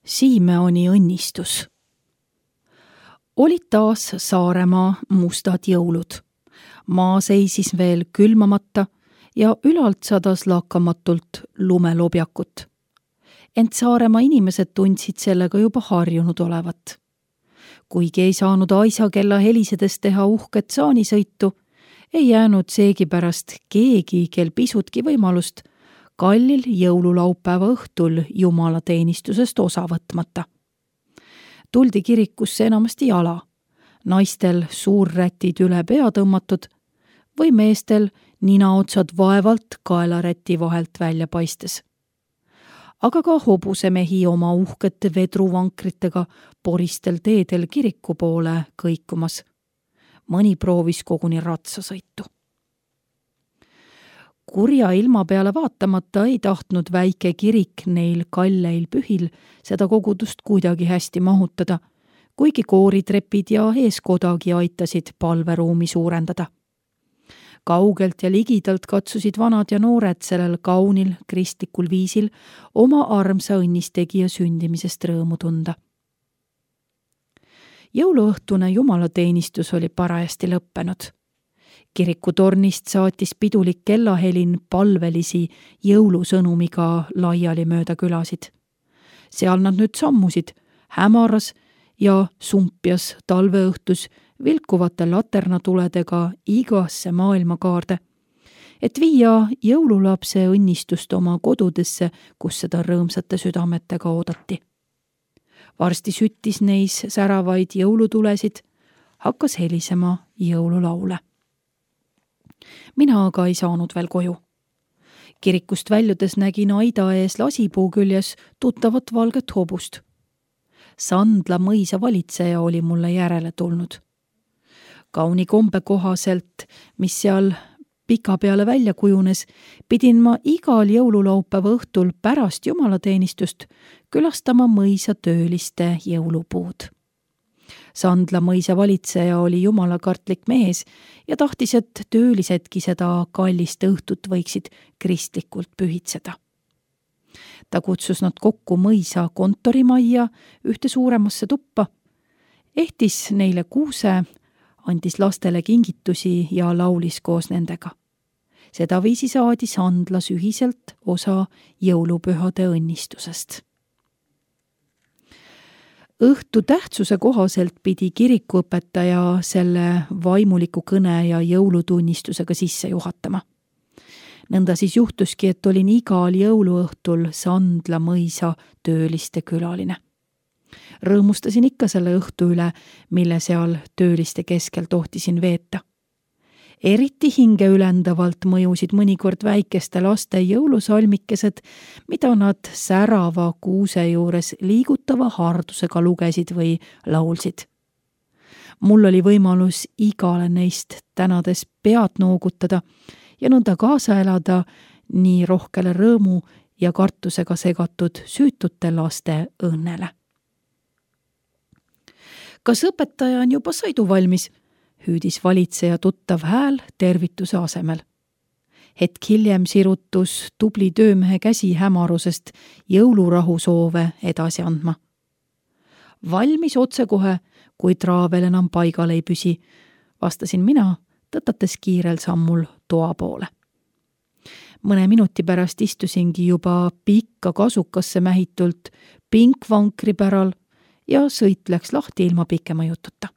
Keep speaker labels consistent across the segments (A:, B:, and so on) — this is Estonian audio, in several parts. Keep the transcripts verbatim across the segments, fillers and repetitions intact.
A: Siimeoni õnnistus. Olid taas Saaremaa mustad jõulud. Maa seisis veel külmamata ja ülalt sadas lakkamatult lumelobjakut. Ent Saaremaa inimesed tundsid sellega juba harjunud olevat. Kuigi ei saanud aisa kella helisedes teha uhket saanisõitu, ei jäänud seegi pärast keegi, kel pisutki võimalust kallil jõululaupäeva õhtul jumalateenistusest osa võtmata. Tuldi kirikusse enamasti jala, naistel suurrätid üle pea tõmmatud või meestel ninaotsad vaevalt kaelaräti vahelt välja paistes. Aga ka hobusemehi oma uhkete vedruvankritega poristel teedel kiriku poole kõikumas. Mõni proovis koguni ratsasõitu. Kurja ilma peale vaatamata ei tahtnud väike kirik neil kalleil pühil seda kogudust kuidagi hästi mahutada, kuigi kooritrepid ja eeskodagi aitasid palveruumi suurendada. Kaugelt ja ligidalt katsusid vanad ja noored sellel kaunil kristlikul viisil oma armsa õnnistegija sündimisest rõõmu tunda. Jõuluõhtune jumalateenistus oli parajasti lõppenud. Kirikutornist saatis pidulik kellahelin palvelisi jõulusõnumiga laiali mööda külasid. Seal nad nüüd sammusid, hämaras ja sumpjas talveõhtus vilkuvate laternatuledega igasse maailmakaarde, et viia jõululapse õnnistust oma kodudesse, kus seda rõõmsate südametega oodati. Varsti süttis neis säravaid jõulutulesid, hakkas helisema jõululaule. Mina aga ei saanud veel koju. Kirikust väljudes nägin aida ees lasipuu küljes tuttavat valget hobust. Sandla mõisa valitseja oli mulle järele tulnud. Kauni kombe kohaselt, mis seal pika peale välja kujunes, pidin ma igal jõululaupäeva õhtul pärast jumalateenistust külastama mõisa tööliste jõulupuud. Sandla mõisa valitseja oli jumalakartlik mees ja tahtis, et töölisedki seda kallist õhtut võiksid kristlikult pühitseda. Ta kutsus nad kokku mõisa kontorimajja ühte suuremasse tuppa, ehtis neile kuuse, andis lastele kingitusi ja laulis koos nendega. Sedaviisi saadi Sandlas ühiselt osa jõulupühade õnnistusest. Õhtu tähtsuse kohaselt pidi kirikuõpetaja selle vaimuliku kõne ja jõulutunnistusega sisse juhatama. Nõnda siis juhtuski, et olin igal jõuluõhtul Sandla mõisa tööliste külaline. Rõõmustasin ikka selle õhtu üle, mille seal tööliste keskel tohtisin veeta. Eriti hinge ülendavalt mõjusid mõnikord väikeste laste jõulusalmikesed, mida nad särava kuuse juures liigutava hardusega lugesid või laulsid. Mul oli võimalus igale neist tänades pead noogutada ja nõnda kaasa elada nii rohkele rõõmu ja kartusega segatud süütute laste õnnele. Kas õpetaja on juba sõiduvalmis? Hüüdis valitseja tuttav hääl tervituse asemel. Hetk hiljem sirutus tubli töömehe käsi hämarusest jõulurahu soove edasi andma. Valmis otsekohe, kui traavel enam paigal ei püsi, vastasin mina, tõtates kiirel sammul toa poole. Mõne minuti pärast istusingi juba pikka kasukasse mähitult pinkvankri päral ja sõit läks lahti ilma pikema jututa.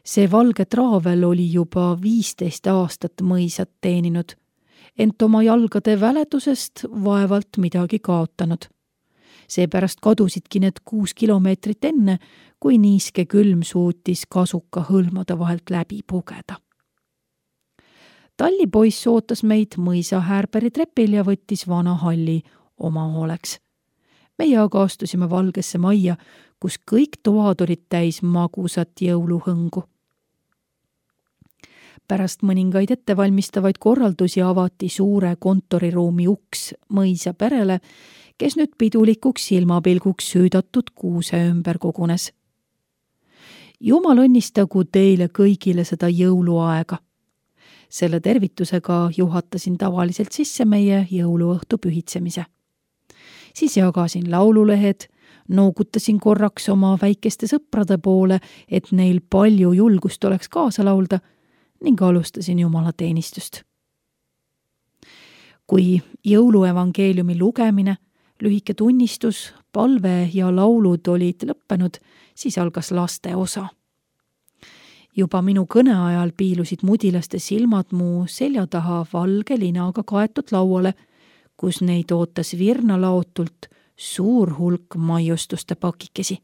A: See valge traavel oli juba viisteist aastat mõisat teeninud, ent oma jalgade väledusest vaevalt midagi kaotanud. Seepärast kadusidki need kuus kilomeetrit enne, kui niiske külm suutis kasuka hõlmade vahelt läbi pugeda. Tallipoiss ootas meid mõisa Häärperi trepil ja võttis vana halli oma hooleks. Meie aga astusime valgesse majja, kus kõik toad olid täis magusat jõuluhõngu. Pärast mõningaid ettevalmistavaid korraldusi avati suure kontoriruumi uks mõisa perele, kes nüüd pidulikuks silmapilguks süüdatud kuuse ümber kogunes. Jumal õnnistagu teile kõigile seda jõuluaega. Selle tervitusega juhatasin tavaliselt sisse meie jõuluõhtu pühitsemise. Siis jagasin laululehed, noogutasin korraks oma väikeste sõprade poole, et neil palju julgust oleks kaasa laulda ning alustasin jumalateenistust. Kui jõuluevangeeliumi lugemine, lühike tunnistus, palve ja laulud olid lõppenud, siis algas laste osa. Juba minu kõne ajal piilusid mudilaste silmad mu selja taha valge linaga kaetud lauale, kus neid ootas virnalaotult suur hulk maiustuste pakikesi.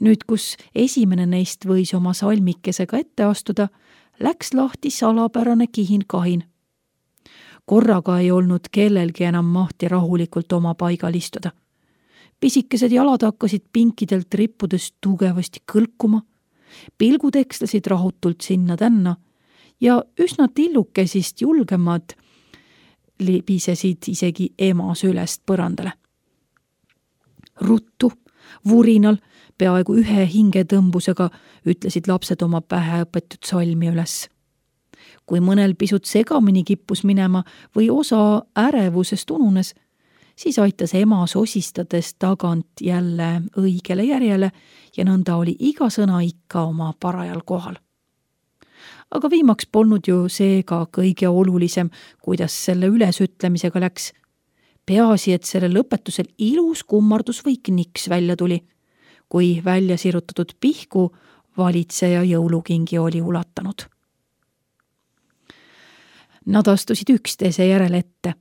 A: Nüüd, kus esimene neist võis oma salmikesega ette astuda, läks lahti salapärane kihin-kahin. Korraga ei olnud kellelgi enam mahti rahulikult oma paigal istuda. Pisikesed jalad hakkasid pinkidelt rippudes tugevasti kõlkuma, pilgud ekslasid rahutult sinna-tänna ja üsna tillukesist julgemad libisesid isegi ema sülest põrandale. Ruttu, vurinal, peaaegu ühe hingetõmbusega ütlesid lapsed oma pähe õpetud salmi üles. Kui mõnel pisut segamini kippus minema või osa ärevusest ununes, siis aitas ema sosistades tagant jälle õigele järjele ja nõnda oli iga sõna ikka oma parajal kohal. Aga viimaks polnud ju seega kõige olulisem, kuidas selle ülesütlemisega läks. Peaasi, et selle lõpetusel ilus kummardus või kniks välja tuli, kui välja sirutatud pihku valitseja jõulukingi oli ulatanud. Nad astusid üksteise järel ette,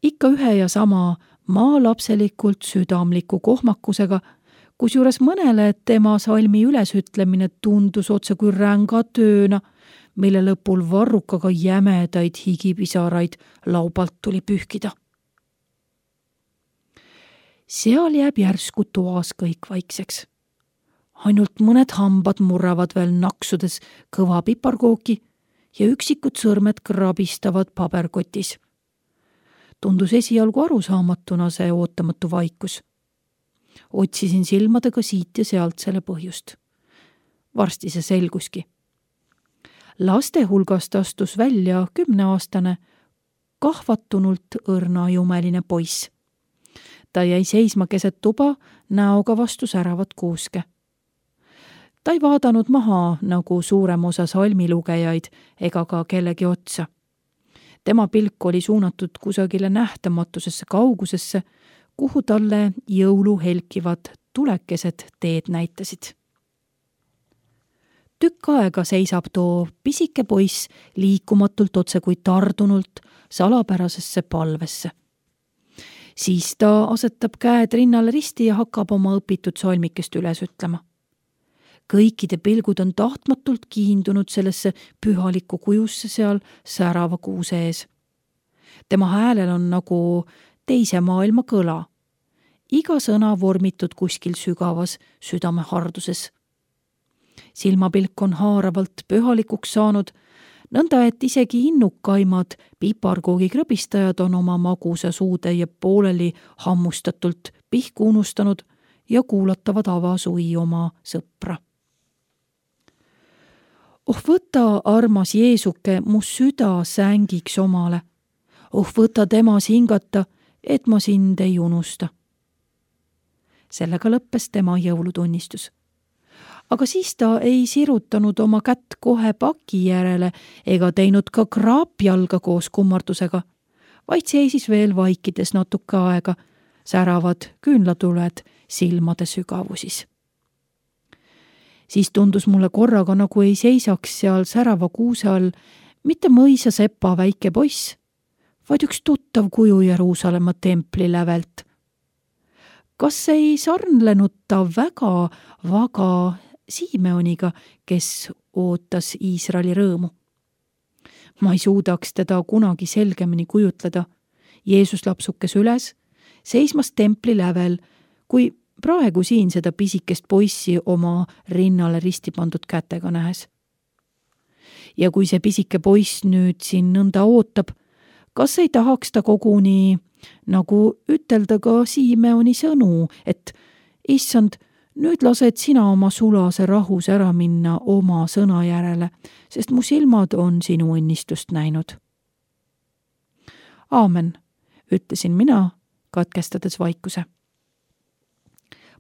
A: ikka ühe ja sama maalapselikult südamliku kohmakusega, kusjuures mõnele tema salmi ülesütlemine tundus otse kui ränga tööna, mille lõpul varrukaga jämedaid higipisaraid laubalt tuli pühkida. Seal jääb järsku toas kõik vaikseks. Ainult mõned hambad murravad veel naksudes kõva piparkooki ja üksikud sõrmed krabistavad paberkotis. Tundus esialgu arusaamatuna see ootamatu vaikus. Otsisin silmadega siit ja sealt selle põhjust. Varsti see selguski. Laste hulgast astus välja kümneaastane, kahvatunult õrnajumeline poiss. Ta jäi seisma keset tuba, näoga vastu säravat kuuske. Ta ei vaadanud maha nagu suurem osa salmilugejaid ega ka kellegi otsa. Tema pilk oli suunatud kusagile nähtamatusesse kaugusesse, kuhu talle jõulu helkivad tulekesed teed näitasid. Tükk aega seisab too pisike poiss liikumatult otse kui tardunult salapärasesse palvesse. Siis ta asetab käed rinnale risti ja hakkab oma õpitud salmikest üles ütlema. Kõikide pilgud on tahtmatult kiindunud sellesse pühalikku kujusse seal särava kuuse ees. Tema häälel on nagu teise maailma kõla. Iga sõna vormitud kuskil sügavas südameharduses. Silmapilk on haaravalt pühalikuks saanud, nõnda et isegi innukaimad piparkoogi krõbistajad on oma magusa suutäie pooleli hammustatult pihku unustanud ja kuulatavad avasui oma sõpra. Oh, võta, armas Jeesuke, mu süda sängiks omale. Oh, võta temas hingata, et ma sind ei unusta. Sellega lõppes tema jõulutunnistus. Aga siis ta ei sirutanud oma kätt kohe paki järele ega teinud ka kraapjalga koos kummardusega, vaid seisis veel vaikides natuke aega, säravad küünlatuled silmade sügavusis. Siis tundus mulle korraga nagu ei seisaks seal särava kuuse all mitte mõisa sepa väike poiss, vaid üks tuttav kuju Jeruusalemma templi lävelt. Kas ei sarnlenud ta väga, väga Simeoniga, kes ootas Iisraeli rõõmu? Ma ei suudaks teda kunagi selgemini kujutleda. Jeesus lapsukes üles, seismas templi lävel, kui praegu siin seda pisikest poissi oma rinnale risti pandud kätega nähes. Ja kui see pisike poiss nüüd siin nõnda ootab, kas ei tahaks ta koguni nagu ütelda ka Simeoni sõnu, et issand, nüüd lased sina oma sulase rahus ära minna oma sõna järele, sest mu silmad on sinu õnnistust näinud. Aamen, ütlesin mina katkestades vaikuse.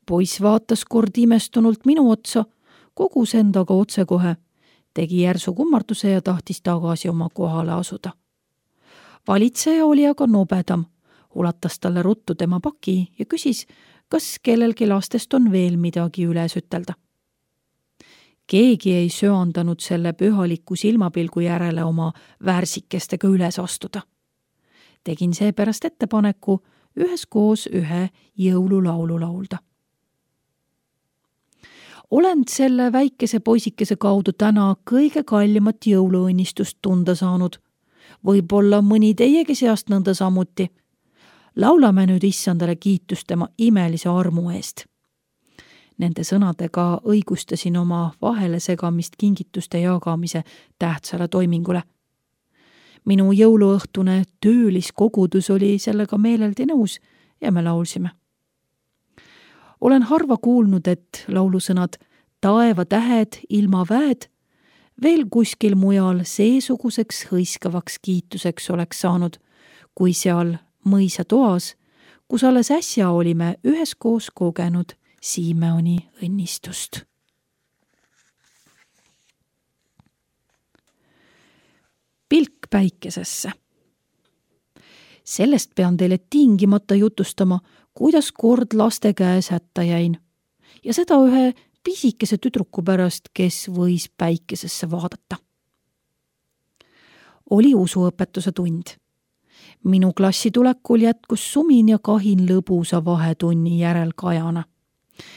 A: Poiss vaatas kord imestunult minu otsa, kogus endaga otsekohe, tegi järsu kummarduse ja tahtis tagasi oma kohale asuda. Valitseja oli aga nobedam, ulatas talle ruttu tema paki ja küsis, kas kellelgi lastest on veel midagi üles ütelda. Keegi ei söandanud selle pühaliku silmapilgu järele oma värsikestega üles astuda. Tegin seepärast ettepaneku üheskoos ühe jõululaulu laulda. Olen selle väikese poisikese kaudu täna kõige kallimat jõuluõnnistust tunda saanud. Võib-olla mõni teiegi seast nõnda samuti. Laulame nüüd issandale kiitust tema imelise armu eest. Nende sõnadega õigustasin oma vahele segamist kingituste jagamise tähtsale toimingule. Minu jõuluõhtune tööliskogudus oli sellega meeleldi nõus ja me laulsime. Olen harva kuulnud, et laulusõnad taeva tähed, ilma väed veel kuskil mujal seesuguseks hõiskavaks kiituseks oleks saanud, kui seal mõisa toas, kus alles äsja olime üheskoos kogenud Simeoni õnnistust. Pilk päikesesse. Sellest pean teile tingimata jutustama, kuidas kord laste käes hätta jäin. Ja seda ühe pisikese tüdruku pärast, kes võis päikesesse vaadata. Oli usuõpetuse tund. Minu klassi tulekul jätkus sumin ja kahin lõbusa vahetunni järel kajana.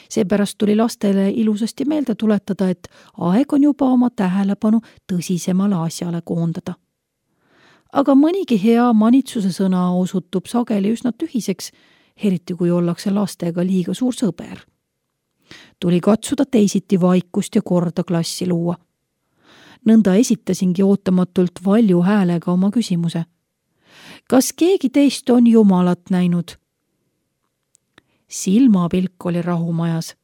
A: Seepärast tuli lastele ilusasti meelde tuletada, et aeg on juba oma tähelepanu tõsisemale asjale koondada. Aga mõnigi hea manitsuse sõna osutub sageli üsna tühiseks, eriti kui ollakse lastega liiga suur sõber. Tuli katsuda teisiti vaikust ja korda klassi luua. Nõnda esitasingi ootamatult valju häälega oma küsimuse. Kas keegi teist on Jumalat näinud? Silmapilk oli rahumajas.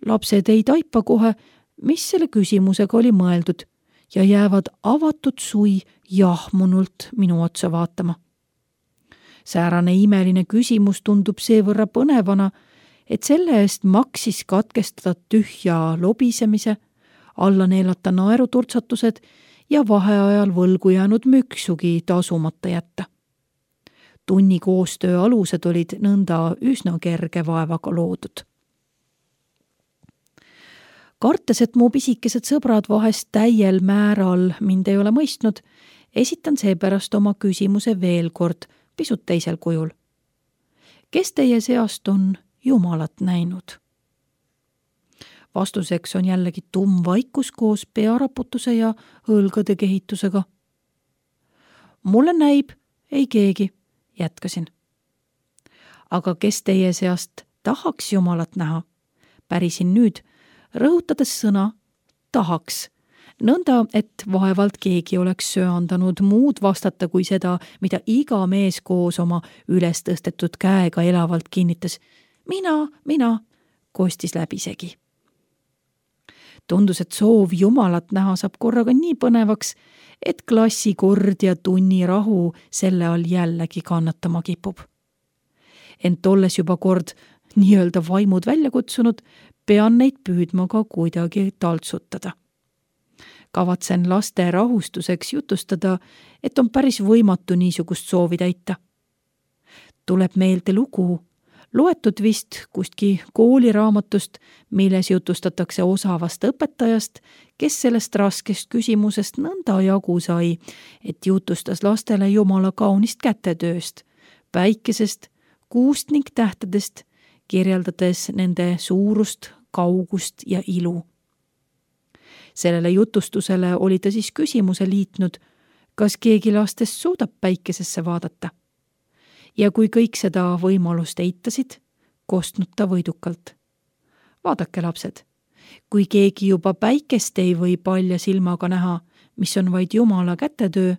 A: Lapsed ei taipa kohe, mis selle küsimusega oli mõeldud ja jäävad avatud sui jahmunult minu otsa vaatama. Säärane imeline küsimus tundub seevõrra põnevana, et selle eest maksis katkestada tühja lobisemise, alla neelata naeruturtsatused ja vaheajal võlgu jäänud müksugi tasumata jätta. Tunni koostöö alused olid nõnda üsna kerge vaevaga loodud. Kartes, et mu pisikesed sõbrad vahest täiel määral mind ei ole mõistnud, esitan seepärast oma küsimuse veel kord, pisut teisel kujul. Kes teie seast on Jumalat näinud? Vastuseks on jällegi tumm vaikus koos pearaputuse ja õlgade kehitusega. Mulle näib, ei keegi, jätkasin. Aga kes teie seast tahaks Jumalat näha? Pärisin nüüd, rõhutades sõna tahaks, nõnda, et vaevalt keegi oleks söandanud muud vastata kui seda, mida iga mees koos oma üles tõstetud käega elavalt kinnitas. Mina, mina, kostis läbisegi. Tundus, et soov Jumalat näha saab korraga nii põnevaks, et klassi kord ja tunni rahu selle all jällegi kannatama kipub. Ent olles juba kord nii-öelda vaimud välja kutsunud, pean neid püüdma ka kuidagi taltsutada. Kavatsen laste rahustuseks jutustada, et on päris võimatu niisugust soovi täita. Tuleb meelde lugu, loetud vist kustki kooliraamatust, milles jutustatakse osavast õpetajast, kes sellest raskest küsimusest nõnda jagu sai, et jutustas lastele Jumala kaunist kätetööst, päikesest, kuust ning tähtedest, kirjeldades nende suurust, kaugust ja ilu. Sellele jutustusele oli ta siis küsimuse liitnud, kas keegi lastest suudab päikesesse vaadata. Ja kui kõik seda võimalust eitasid, kostnud ta võidukalt. Vaadake, lapsed, kui keegi juba päikest ei või palja silmaga näha, mis on vaid Jumala kätetöö,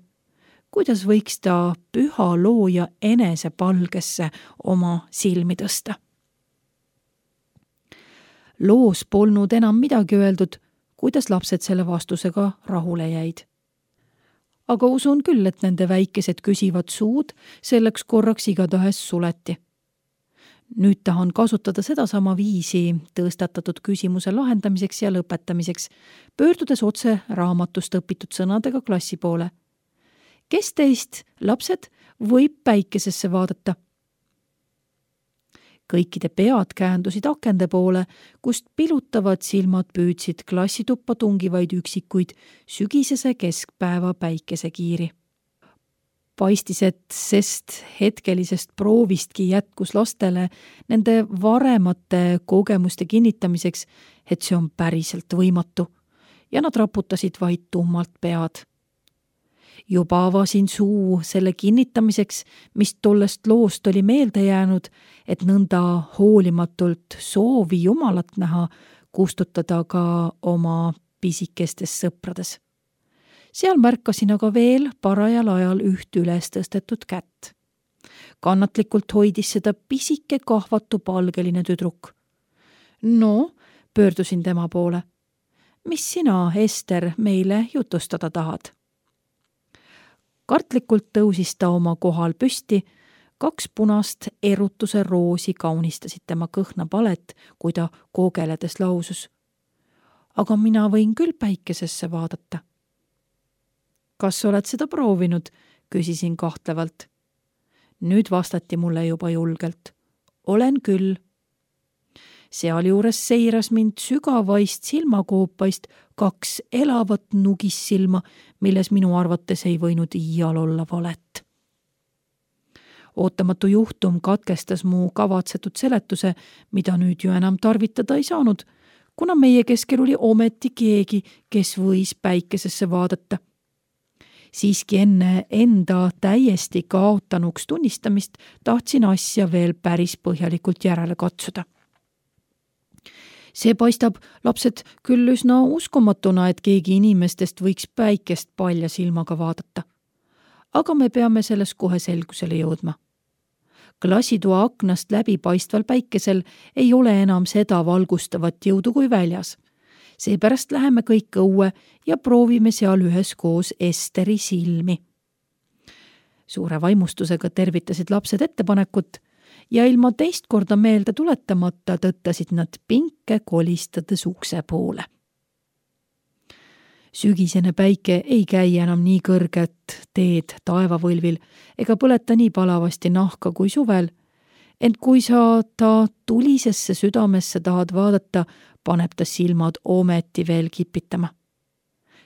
A: kuidas võiks ta püha looja enese palgesse oma silmi tõsta? Loos polnud enam midagi öeldud, kuidas lapsed selle vastusega rahule jäid. aga usun küll, et nende väikesed küsivad suud selleks korraks igatahes suleti. Nüüd tahan kasutada sedasama viisi tõstatatud küsimuse lahendamiseks ja lõpetamiseks, pöördudes otse raamatust õpitud sõnadega klassi poole. Kes teist, lapsed, võib päikesesse vaadata? Kõikide pead käändusid akende poole, kust pilutavad silmad püüdsid klassituppa tungivaid üksikuid sügisese keskpäeva päikesekiiri. Paistis, et sest hetkelisest proovistki jätkus lastele nende varemate kogemuste kinnitamiseks, et see on päriselt võimatu, ja nad raputasid vaid tummalt pead. Juba avasin suu selle kinnitamiseks, mis tollest loost oli meelde jäänud, et nõnda hoolimatult soovi Jumalat näha kustutada ka oma pisikestes sõprades. Seal märkasin aga veel parajal ajal üht üles tõstetud kätt. Kannatlikult hoidis seda pisike kahvatu palgeline tüdruk. No, pöördusin tema poole. Mis sina, Ester, meile jutustada tahad? Kartlikult tõusis ta oma kohal püsti, kaks punast erutuse roosi kaunistasid tema kõhna palet, kui ta koogeledes lausus. Aga mina võin küll päikesesse vaadata. Kas oled seda proovinud? Küsisin kahtlevalt. Nüüd vastati mulle juba julgelt. Olen küll. Sealjuures seiras mind sügavaist silmakoopaist kaks elavat nugissilma, milles minu arvates ei võinud iial olla valet. Ootamatu juhtum katkestas mu kavatsetud seletuse, mida nüüd ju enam tarvitada ei saanud, kuna meie keskel oli ometi keegi, kes võis päikesesse vaadata. Siiski enne enda täiesti kaotanuks tunnistamist tahtsin asja veel päris põhjalikult järele katsuda. See paistab, lapsed, küll üsna uskomatuna, et keegi inimestest võiks päikest palja silmaga vaadata. Aga me peame selles kohe selgusele jõudma. Klassitoa aknast läbipaistval päikesel ei ole enam seda valgustavat jõudu kui väljas. Seepärast läheme kõik õue ja proovime seal üheskoos Esteri silmi. Suure vaimustusega tervitasid lapsed ettepanekut ja ilma teist korda meelde tuletamata tõttasid nad pinke kolistades ukse poole. Sügisene päike ei käi enam nii kõrget teed taevavõlvil ega põleta nii palavasti nahka kui suvel, ent kui sa ta tulisesse südamesse tahad vaadata, paneb ta silmad ometi veel kipitama.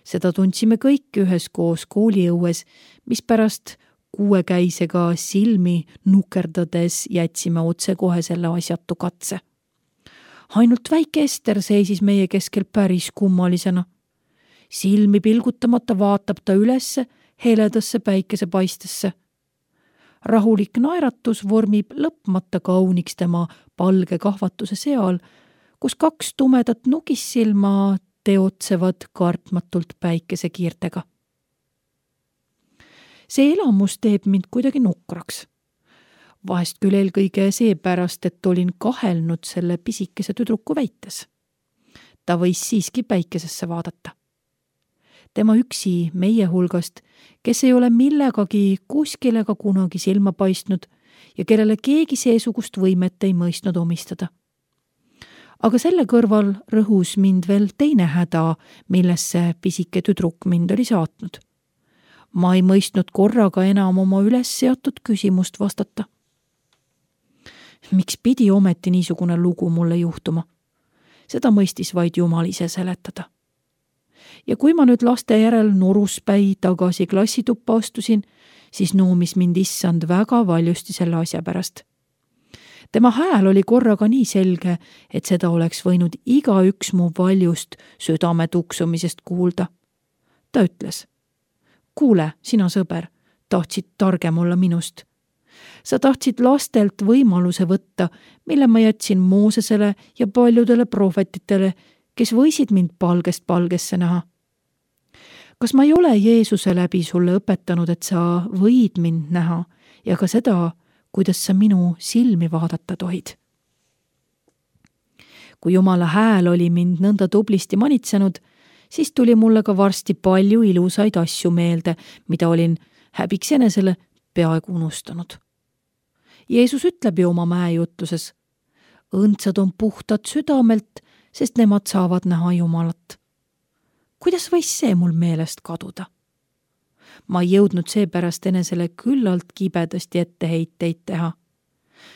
A: Seda tundsime kõik üheskoos kooliõues, mis pärast kuuekäisega silmi nukerdades jätsime otse kohe selle asjatu katse. Ainult väike Ester seisis meie keskel päris kummalisena. Silmi pilgutamata vaatab ta ülesse heledasse päikesepaistesse. Rahulik naeratus vormib lõpmata kauniks tema palge kahvatuse seal, kus kaks tumedat nugissilma teotsevad kartmatult päikesekiirtega. See elamus teeb mind kuidagi nukraks. Vahest küll eelkõige seepärast, et olin kahelnud selle pisikese tüdruku väites. Ta võis siiski päikesesse vaadata. Tema üksi meie hulgast, kes ei ole millegagi kuskile ka kunagi silma paistnud ja kellele keegi seesugust võimet ei mõistnud omistada. Aga selle kõrval rõhus mind veel teine häda, millesse pisike tüdruk mind oli saatnud. Ma ei mõistnud korraga enam oma üles seatud küsimust vastata. Miks pidi ometi niisugune lugu mulle juhtuma? Seda mõistis vaid Jumal ise seletada. Ja kui ma nüüd laste järel noruspäi tagasi klassituppa astusin, siis noomis mind issand väga valjusti selle asja pärast. Tema hääl oli korraga nii selge, et seda oleks võinud igaüks mu valjust südame tuksumisest kuulda. Ta ütles, kuule, sina sõber, tahtsid targem olla minust. Sa tahtsid lastelt võimaluse võtta, mille ma jätsin Moosesele ja paljudele prohvetitele, kes võisid mind palgest palgesse näha. Kas ma ei ole Jeesuse läbi sulle õpetanud, et sa võid mind näha ja ka seda, kuidas sa minu silmi vaadata tohid? Kui Jumala hääl oli mind nõnda tublisti manitsenud, siis tuli mulle ka varsti palju ilusaid asju meelde, mida olin häbiks enesele peaaegu unustanud. Jeesus ütleb ju oma mäejutluses: õndsad on puhtad südamelt, sest nemad saavad näha Jumalat. Kuidas võis see mul meelest kaduda? Ma ei jõudnud seepärast enesele küllalt kibedasti etteheiteid teha.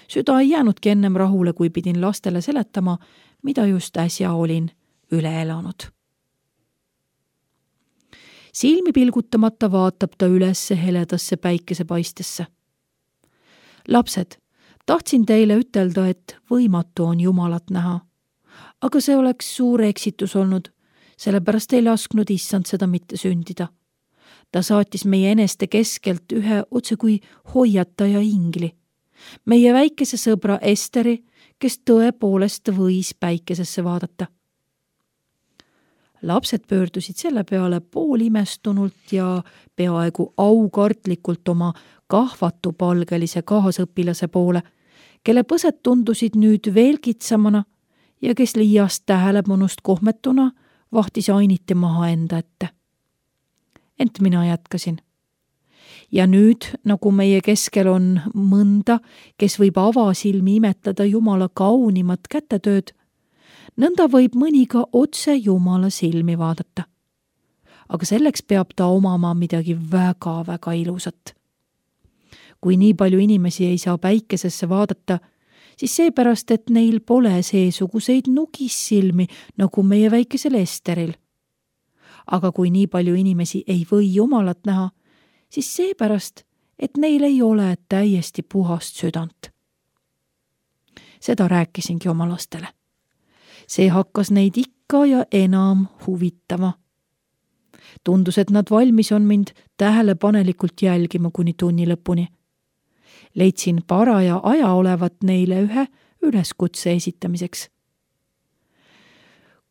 A: Süda ei jäänudki ennem rahule, kui pidin lastele seletama, mida just äsja olin üle elanud. Silmi pilgutamata vaatab ta ülesse heledasse päikesepaistesse. Lapsed, tahtsin teile ütelda, et võimatu on Jumalat näha, aga see oleks suur eksitus olnud, sellepärast ei lasknud issand seda mitte sündida. Ta saatis meie eneste keskelt ühe otse kui hoiataja ingli, meie väikese sõbra Esteri, kes tõepoolest võis päikesesse vaadata. Lapsed pöördusid selle peale poolimestunult ja peaaegu aukartlikult oma kahvatupalgelise kaasõpilase poole, kelle põsed tundusid nüüd veel kitsamana ja kes liiast tähelepanust kohmetuna vahtis ainiti maha enda ette. Ent mina jätkasin. Ja nüüd, nagu meie keskel on mõnda, kes võib avasilmi imetleda Jumala kaunimat kätetööd, nõnda võib mõni ka otse Jumala silmi vaadata. Aga selleks peab ta omama midagi väga-väga ilusat. Kui nii palju inimesi ei saa päikesesse vaadata, siis seepärast, et neil pole seesuguseid nugissilmi nagu meie väikesel Esteril. Aga kui nii palju inimesi ei või Jumalat näha, siis seepärast, et neil ei ole täiesti puhast südant. Seda rääkisingi oma lastele. See hakkas neid ikka ja enam huvitama. Tundus, et nad valmis on mind tähelepanelikult jälgima kuni tunni lõpuni. Leidsin paraja aja olevat neile ühe üleskutse esitamiseks.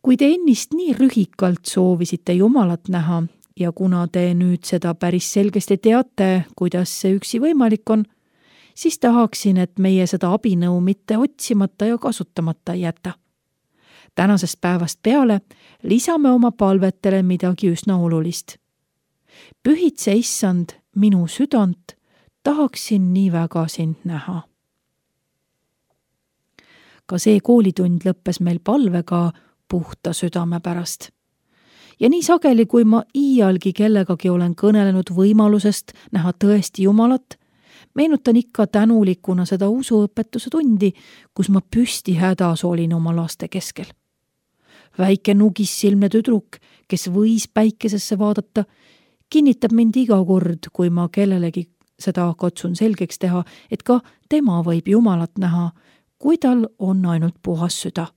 A: Kui te ennist nii rühikalt soovisite Jumalat näha ja kuna te nüüd seda päris selgesti teate, kuidas see üksi võimalik on, siis tahaksin, et meie seda abinõu mitte otsimata ja kasutamata jätta. Tänasest päevast peale lisame oma palvetele midagi üsna olulist. Pühitse issand minu südant, tahaksin nii väga sind näha. Ka see koolitund lõppes meil palvega puhta südame pärast. Ja nii sageli, kui ma iialgi kellegagi olen kõnelenud võimalusest näha tõesti Jumalat, meenutan ikka tänulikuna seda usuõpetuse tundi, kus ma püsti hädas olin oma laste keskel. Väike nugissilmne tüdruk, kes võis päikesesse vaadata, kinnitab mind iga kord, kui ma kellelegi seda katsun selgeks teha, et ka tema võib Jumalat näha, kui tal on ainult puhas süda.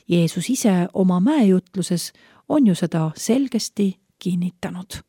A: Jeesus ise oma mäejutluses on ju seda selgesti kinnitanud.